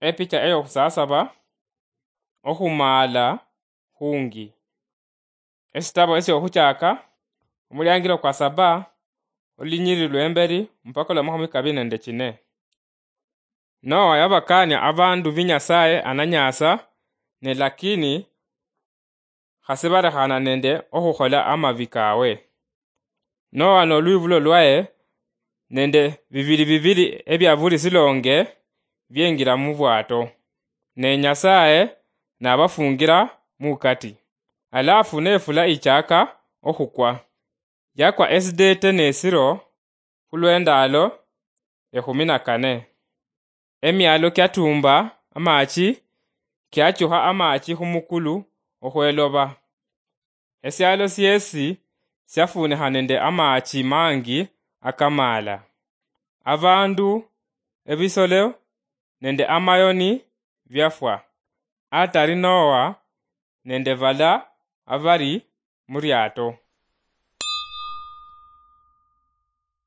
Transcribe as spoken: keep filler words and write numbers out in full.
Epicha eyokhusasaba, okhumaala khungi. Esitabo esyokhuchaka, omuliangilo kwa saba, olulinyiriri lwemberi mpaka olwa makhumi kabiri nende chine. Noa yabakania abandu bi Nyasaye ananyasa, ne lakini khasi balekhana nende okhukhola amabi kawe. Noa nolwibulo lwaye nende bibili bibili ebia buli silonge biengira mubwato, ne Nyasaye nabafungira mukati. Alafu nefula ichaka okhukwa, yakwa esidete nesiro khulwendalo ekhumi na kane. Emialo kiatumba amachi, kiachukha amachi khumukulu okhweloba. Esialo siesi siafunikha nende amachi mangi akamala. Abandu, ebisolo nende amayoni biafwa, atari Noa nende bala abari muriato.